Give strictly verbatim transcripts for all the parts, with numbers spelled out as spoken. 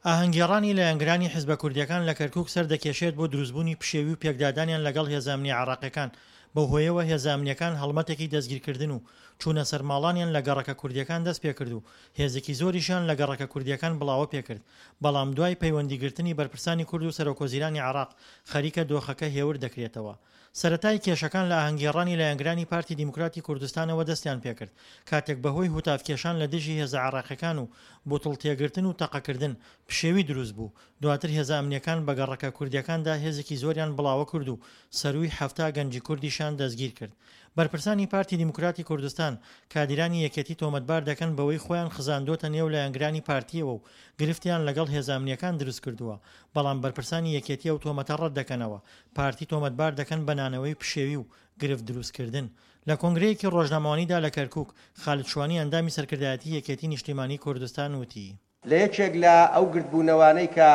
ئاهەنگگێڕانی لایەنگرانی حیزبە کوردییەکان لە کەرکوک سەردەکێشێت بۆ دروستبوونی پشێوی و پێکدادانیان لەگەڵ هێزە ئەمنییە عێراقییەکان، بەو هۆیەوە هێزە ئەمنییەکان هەڵمەتێکی دەستگیرکردن و چوونە سەرماڵانیان لە گەڕەکە کوردییەکان دەستپێکرد و هێزێکی زۆریشیان لە گەڕەکە کوردییەکان بڵاوە پێکرد، بەڵام دوای پەیوەندیگرتنی بەرپرسانی کورد و سەرۆکوەزیرانی عێراق خەریکە دۆخەکە هێور دەکرێتەوە. سەرەتای کێشەکان لە ئاهەنگگێڕانی لایەنگرانی پارتی دیموکراتی کوردستانەوە دەستیان پێکرد، کاتێک بەهۆی هوتافکێشان لە دژی هێزە عێراقییەکان و بوتڵ تێگرتن و تەقەکردن، پشێوی دروست بوو، دواتر هێزە ئەمنییەکان بە گەڕەکە کوردییەکاندا هێزێکی زۆریان بڵاوە کرد و سەرووی حەفتا گەنجی کوردیشیان دەستگیر کرد. بەرپرسانی پارتی دیموکراتی کوردستان، کادیرانی یەکێتی تۆمەتبار دەکەن بەوەی خۆیان خزاندۆتە نێو لایەنگرانی پارتییەوە و گرفتیان لەگەڵ هێزە ئەمنییەکان دروستکردووە، بەڵام بەرپرسانی یەکێتی ئەو تۆمەتە ڕەتدەکەنەوە، پارتی تۆمەتبار دەکەن بە نانەوەی پشێوی و گرفت دروستکردن. لە کۆنگرەیەکی ڕۆژنامەوانیدا لە کەرکوک، خالد شوانی ئەندامی سەرکردایەتی یەکێتی نیشتیمانی کوردستان وتی. لە یەکێک لە ئەو گردبوونەوانەی کە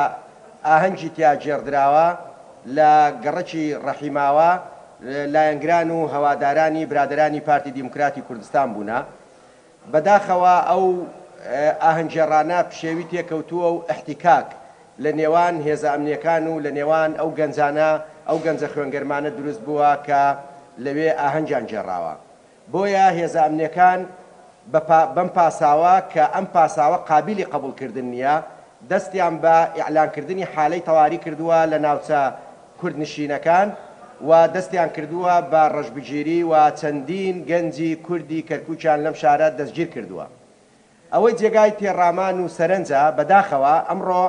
ئاهەنگی تیا گێڕدراوە لە گەڕەکی ڕەحیماوا، لایەنگران و هەوادارانی برادەرانی پارتی دیموکراتی کوردستان بوونە. بەداخەوە ئەو ئاهەنگگێڕانە پشێوی تێکەوتووە و ئیحتیکاک لە نێوان هێزە ئەمنییەکان و لە نێوان ئەو گەنجانە، ئەو گەنجە خوێنگەرمانە دروست بووە کە لەوێ ئاهەنگیان گێڕاوە. بۆیە هێزە ئەمنییەکان بەم پاساوە کە ئەم پاساوە قابیلی قبوڵکردن نییە، دەستیان بە ئیعلانکردنی حالەی تەواری کردووە لە ناوچە کوردنشینەکان و دەستیان کردووە بە ڕەشبگیری و چەندین گەنجی کوردی کەرکوکیان لەم شارە دەستگیر کردووە. ئەوەی جێگای تێڕامان و سەرنجە، بەداخەوە ئەمڕۆ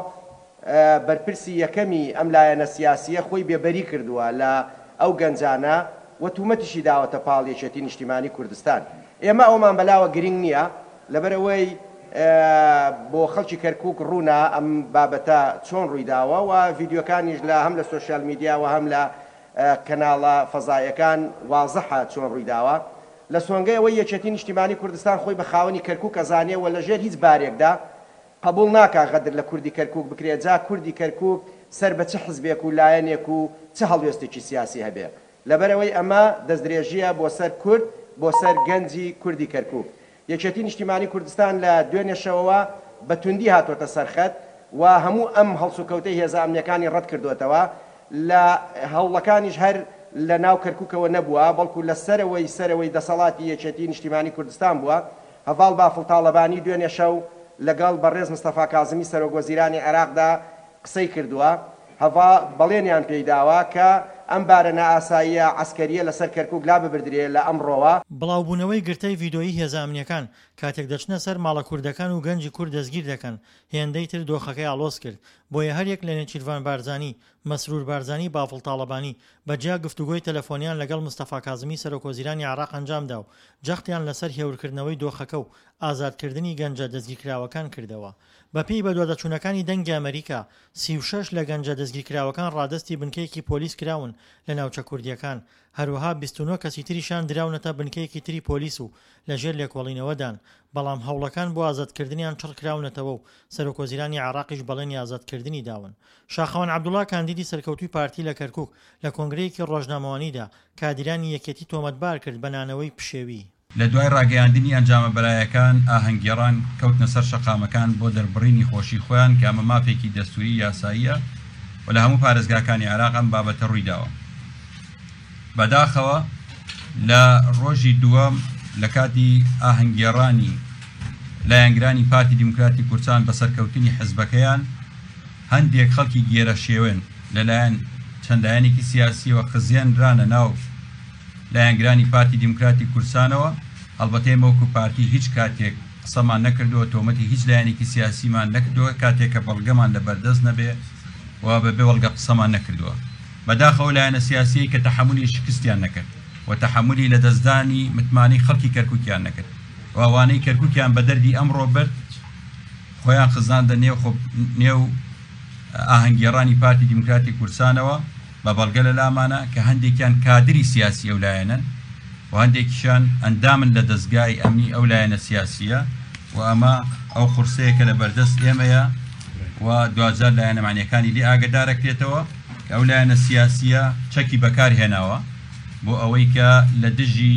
بەرپرسی یەکەمی ئەم لایەنە سیاسییە خۆی بێبەری کردووە لە ئەو گەنجانە و تومەتیشی داوەتە پاڵ یەکێتی نیشتیمانی کوردستان. ئێمە ئەومان بەلاوە گرنگ نییە، لەبەرئەوەی بۆ خەڵکی کەرکوک ڕوونە ئەم بابەتە چۆن ڕوویداوە و ڤیدیۆکانیش لە هەم لە سۆشیال میدیا و هەم لە کەناڵە فەزایەکان وازحە چۆن ڕوویداوە. لە سۆنگەی ئەوەی یەکێتی نیشتیمانی کوردستان خۆی بە خاوەنی کەرکوک ئەزانێ و لەژێر هیچ بارێکدا قبوڵ ناکا غەدر لە کوردی کەرکوک بکرێ، جا کوردی کەرکوک سەر بە چ حزبێک و لایەنێک و چ هەڵوێستێکی سیاسی هەبێ. لەبەرئەوەی ئەمە دەستدرێژییە بۆ سەر کورد، بۆ سەر گەنجی کوردی کەرکوک. یەکێتی نیشتیمانی کوردستان لە دوێنێ شەوەوە بە توندی هاتۆتە سەر خەت و هەموو ئەم هەڵسوکەوتەی هێزە ئەمنییەکانی ڕەتکردۆتەوە. لە هەوڵەکانیش هەر لە ناو کەرکوکەوە نەبووە، بەڵکو لە سەرەوەی سەرەوەی دەسەڵاتی یەکێتی نیشتیمانی کوردستان بووە. هەڤاڵ بافڵ تاڵەبانی دوێنێ شەو لەگەڵ بەڕێز مستەفا کازمی سەرۆک وەزیرانی عێراقدا قسەی کردووە. هەڤا بەڵێنیان پێی داوە کە ئەم بارە نائاساییە عەسکەرییە لەسەر کەرکوک لاببردرێ لە ئەمڕۆوە. بڵاوبوونەوەی گرتەی ڤیدۆیی هێزە ئەمنییەکان کاتێک دەچنە سەر ماڵە کوردەکان و گەنجی کورد دەستگیر دەکەن، هێندەی تر دۆخەکەی ئاڵۆز کرد. بۆیە هەریەک لە نێچیرڤان بارزانی، مەسرور بارزانی، بافڵ تاڵەبانی بە جیا گفتوگۆی تەلەفۆنیان لەگەڵ مستەفا کازمی سەرۆکوەزیرانی عێراق ئەنجامدا و جەختیان لەسەر هێورکردنەوەی دۆخەکە و ئازادکردنی گەنجە دەستگیرکراوەکان کردەوە. بەپێی بەدواداچوونەکانی دەنگی ئەمەریکا، سی و شەش لە گەنجە دەستگیرکراوەکان ڕادەستی بنکەیەکی پۆلیس کراون لە ناوچە کوردییەکان، هەروەها بیست و نۆ کەسی تریشیان دراونەتە بنکەیەکی تری پۆلیس و لەژێر لێکۆڵینەوەدان، بەڵام هەوڵەکان بۆ ئازادکردنیان چڕکراونەتەوە و سەرۆکوەزیرانی عێراقیش بەڵێنی ئازادکردنی داون. شاخەوان عەبدوڵا کاندیدی سەرکەوتووی پارتی لە کەرکوک لە کۆنگرەیەکی ڕۆژنامەوانیدا کادیرانی یەکێتی تۆمەتبار کرد بە نانەوەی پشێوی. لە دوای ڕاگەیاندنی ئەنجامە بەرایەکان، ئاهەنگگێڕان کەوتنە سەر شەقامەکان بۆ دەربڕینی خۆشی خۆیان کە ئەمە مافێکی دەستووری یاساییە و لە هەموو پارێزگاکانی عێراق ئەم بابەتە ڕوویداوە. بەداخەوە لە ڕۆژی دووەم لە کاتی ئاهەنگگێڕانی لایەنگرانی پارتی دیموکراتی کوردستان بە سەرکەوتنی حزبەکەیان، هەندێک خەڵکی گێرەشێوێن لەلایەن چەند لایەنێکی سیاسیەوە خزێنرانە ناو لایەنگرانی پارتی دیموکراتی کوردستانەوە. هەڵبەتە ئێمە وەکو پارتی هیچ کاتێک قسەمان نەکردووە، تۆمەتی هیچ لایەنێکی سیاسیمان نەکردووە کاتێک کە بەڵگەمان لەبەردەست نەبێ و بەبێ بەڵگە قسەمان نەکردووە. بەداخەوە لایەنە سیاسیەی کە تەحەمولی شکستیان نەکرد و تەحەمولی لەدەستدانی متمانەی خەڵکی کەرکوکیان نەکرد و ئەوانەی کەرکوکیان بە دەردی ئەمڕۆ برد خۆیان خزاندە نێو نێو ئاهەنگگێڕانی پارتی دیموکراتی کوردستانەوە بە بەڵگە لە لامانە کە هەندێکیان کادری سیاسی ئەو لایەنەن و هەندێکیشان ئەندامن لە دەستگای ئەمنی ئەو لایەنە سیاسیە و ئەمە ئەو قورسەیە کە لە بەردەست ئێمەیە و دواجار لایەنە معنیەکانی لێ ئاگدارەکرێتەوە کە ئەو لایەنە سیاسیە چەکی بەکار هێناوە بۆ ئەوەی کە لە دژی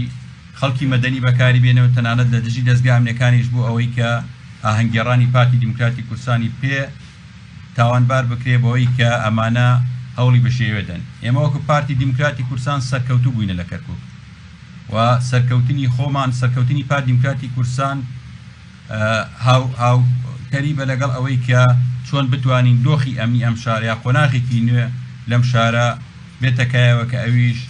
خەڵکی مەدەنی بەکاری بێنەوە، تەنانەت لە دژی دەستگا ئەمنیەکانیش بۆ ئەوەی کە ئاهەنگگێڕانی پارتی دیموکراتی کوردستانی پێ تاوانبار بکرێ بەوەی کە ئەمانە هەوڵی بشێوێ دەن. ئێمە وەکو پارتی دیموکراتی کوردستان سەرکەوتوو بووینە لە کەرکوک و سەرکەوتنی خۆمان، سەرکەوتنی پارتی دیموکراتی کوردستان هاو هاوتەریبە لەگەڵ ئەوەی کە چۆن بتوانین دۆخی ئەمنی ئەم شارە یا قۆناغێکی نوێ لەم شارە بێتە کایەوە کە ئەویش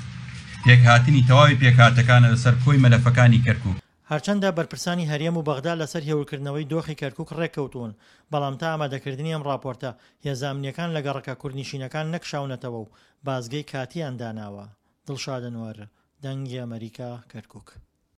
پێکهاتنی تەواوی پێکهاتەکانە لەسەر کۆی مەلەفەکانی کەرکوک. هەرچەندە بەرپرسانی هەرێم و بەغدا لەسەر هێورکردنەوەی دۆخی کەرکوک ڕێککەوتوون، بەڵام تا ئامادەکردنی ئەم ڕاپۆرتە، هێزە ئەمنییەکان لە گەڕەکە کوردنشینەکان نەکشاونەتەوە و بازگەی کاتییان داناوە. دڵشاد ئەنوەر، دەنگی ئەمەریکا، کەرکوک.